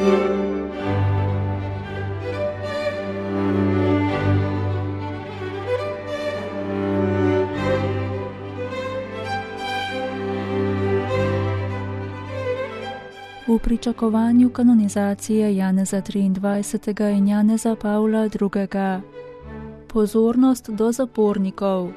V pričakovanju kanonizacije Janeza 23. in Janeza Pavla II. Pozornost do zapornikov.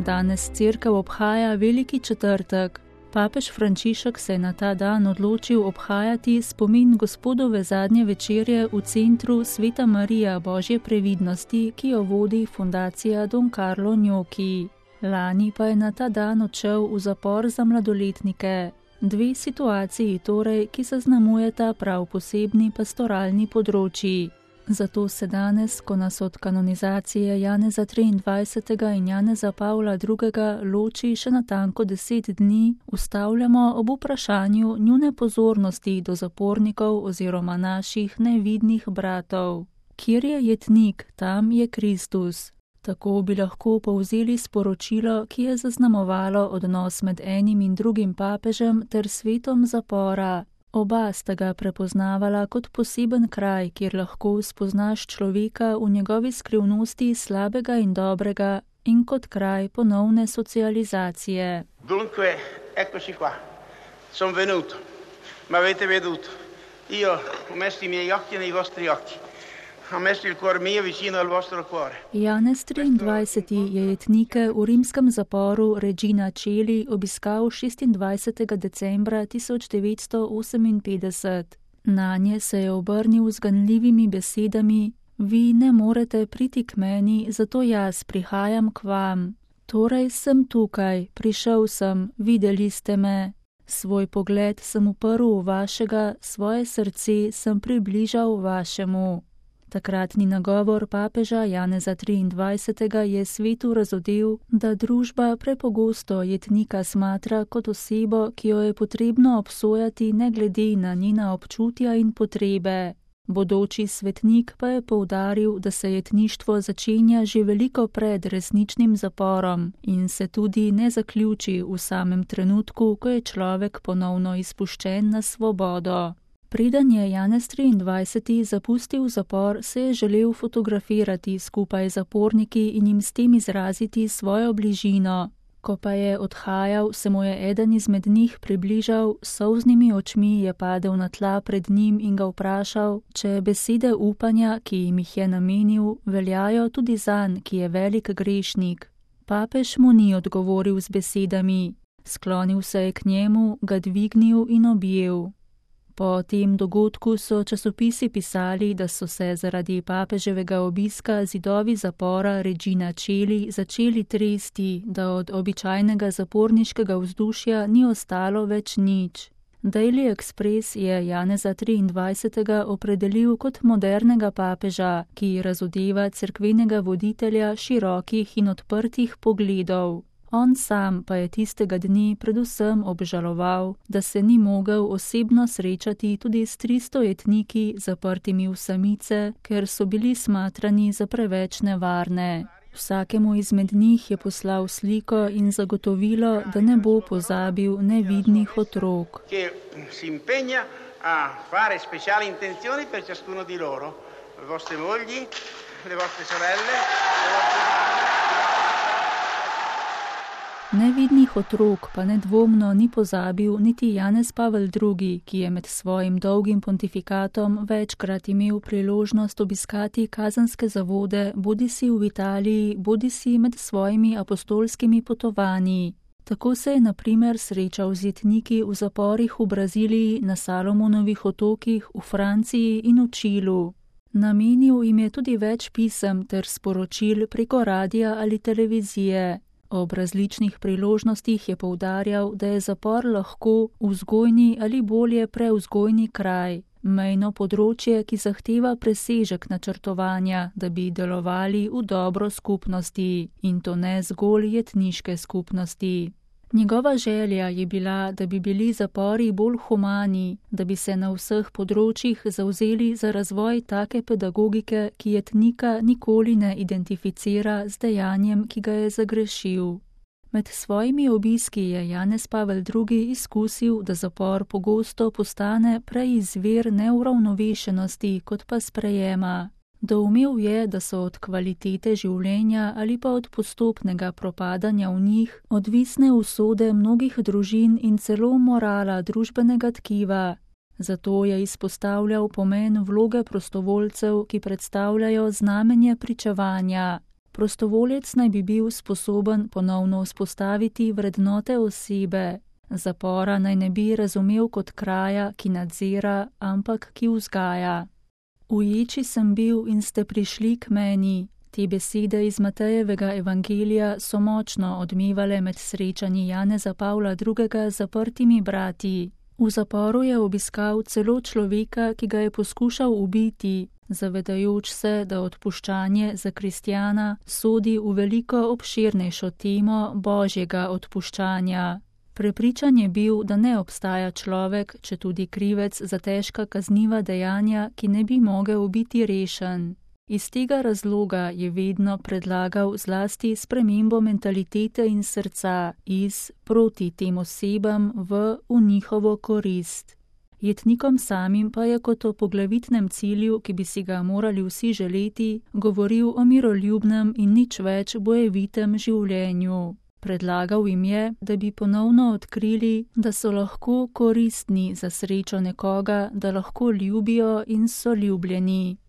Danes cerkev obhaja Veliki četrtek. Papež Frančišek se je na ta dan odločil obhajati spomin Gospodove zadnje večerje v centru Sveta Marija Božje previdnosti, ki jo vodi fundacija Don Carlo Gnocchi. Lani pa je na ta dan odšel v zapor za mladoletnike. Dve situaciji torej, ki zaznamujeta prav posebni pastoralni področji. Zato se danes, ko nas od kanonizacije Janeza 23. in Janeza Pavla II. Loči še natanko 10 dni, ustavljamo ob vprašanju njune pozornosti do zapornikov oziroma naših nevidnih bratov. Kjer je jetnik, tam je Kristus. Tako bi lahko povzeli sporočilo, ki je zaznamovalo odnos med enim in drugim papežem ter svetom zapora. Oba sta ga prepoznavala kot poseben kraj, kjer lahko spoznaš človeka v njegovi skrivnosti slabega in dobrega in kot kraj ponovne socializacije. Dunque, eccoci qua. Sono venuto. M'avete veduto. Io ho messo I miei occhi nei vostri occhi. Ho messo il cuore mio vicino al vostro cuore. Janez 23. je jetnike v rimskem zaporu Regina Coeli obiskal 26. decembra 1958. Nanje se je obrnil z ganljivimi besedami: Vi ne morete priti k meni, zato jaz prihajam k vam. Torej sem tukaj, prišel sem, videli ste me. Svoj pogled sem uprl v vašega, svoje srce sem približal vašemu. Takratni nagovor papeža Janeza 23. je svetu razodel, da družba prepogosto jetnika smatra kot osebo, ki jo je potrebno obsojati ne glede na njena občutja in potrebe. Bodoči svetnik pa je poudaril, da se jetništvo začenja že veliko pred resničnim zaporom in se tudi ne zaključi v samem trenutku, ko je človek ponovno izpuščen na svobodo. Preden je Janez 23. zapustil zapor, se je želel fotografirati skupaj z zaporniki in jim s tem izraziti svojo bližino. Ko pa je odhajal, se mu je eden izmed njih približal, s solznimi očmi je padel na tla pred njim in ga vprašal, če besede upanja, ki jim jih je namenil, veljajo tudi zanj, ki je velik grešnik. Papež mu ni odgovoril z besedami. Sklonil se je k njemu, ga dvignil in objel. Po tem dogodku so časopisi pisali, da so se zaradi papeževega obiska zidovi zapora Regina Coeli začeli tresti, da od običajnega zaporniškega vzdušja ni ostalo več nič. Daily Express je Janeza 23. opredelil kot modernega papeža, ki razodeva cerkvenega voditelja širokih in odprtih pogledov. On sam pa je tistega dni predvsem obžaloval, da se ni mogel osebno srečati tudi s 300 jetniki zaprtimi v samice, ker so bili smatrani za preveč nevarne. Vsakemu izmed njih je poslal sliko in zagotovilo, da ne bo pozabil nevidnih otrok. Nevidnih otrok pa nedvomno ni pozabil niti Janez Pavel II., ki je med svojim dolgim pontifikatom večkrat imel priložnost obiskati kazenske zavode, bodisi v Italiji, bodisi med svojimi apostolskimi potovanji. Tako se je na primer srečal z jetniki v zaporih v Braziliji, na Salomonovih otokih, v Franciji in v Čilu. Namenil jim je tudi več pisem ter sporočil preko radia ali televizije. Ob različnih priložnostih je poudarjal, da je zapor lahko vzgojni ali bolje prevzgojni kraj, mejno področje, ki zahteva presežek načrtovanja, da bi delovali v dobro skupnosti, in to ne zgolj jetniške skupnosti. Njegova želja je bila, da bi bili zapori bolj humani, da bi se na vseh področjih zavzeli za razvoj take pedagogike, ki jetnika nikoli ne identificira z dejanjem, ki ga je zagrešil. Med svojimi obiski je Janez Pavel II. Izkusil, da zapor pogosto postane prej izvir neuravnovešenosti kot pa sprejema. Doumel je, da so od kvalitete življenja ali pa od postopnega propadanja v njih odvisne usode mnogih družin in celo morala družbenega tkiva. Zato je izpostavljal pomen vloge prostovoljcev, ki predstavljajo znamenje pričevanja. Prostovoljec naj bi bil sposoben ponovno vzpostaviti vrednote osebe. Zapora naj ne bi razumel kot kraja, ki nadzira, ampak ki vzgaja. V ječi sem bil in ste prišli k meni. Te besede iz Matejevega evangelija so močno odmevale med srečanji Janeza Pavla II. Z zaprtimi brati. V zaporu je obiskal celo človeka, ki ga je poskušal ubiti, zavedajoč se, da odpuščanje za kristjana sodi v veliko obširnejšo temo božjega odpuščanja. Prepričan je bil, da ne obstaja človek, četudi krivec za težka kazniva dejanja, ki ne bi mogel biti rešen. Iz tega razloga je vedno predlagal zlasti spremembo mentalitete in srca iz proti tem osebam v njihovo korist. Jetnikom samim pa je kot o poglavitnem cilju, ki bi si ga morali vsi želeti, govoril o miroljubnem in nič več bojevitem življenju. Predlagal jim je, da bi ponovno odkrili, da so lahko koristni za srečo nekoga, da lahko ljubijo in so ljubljeni.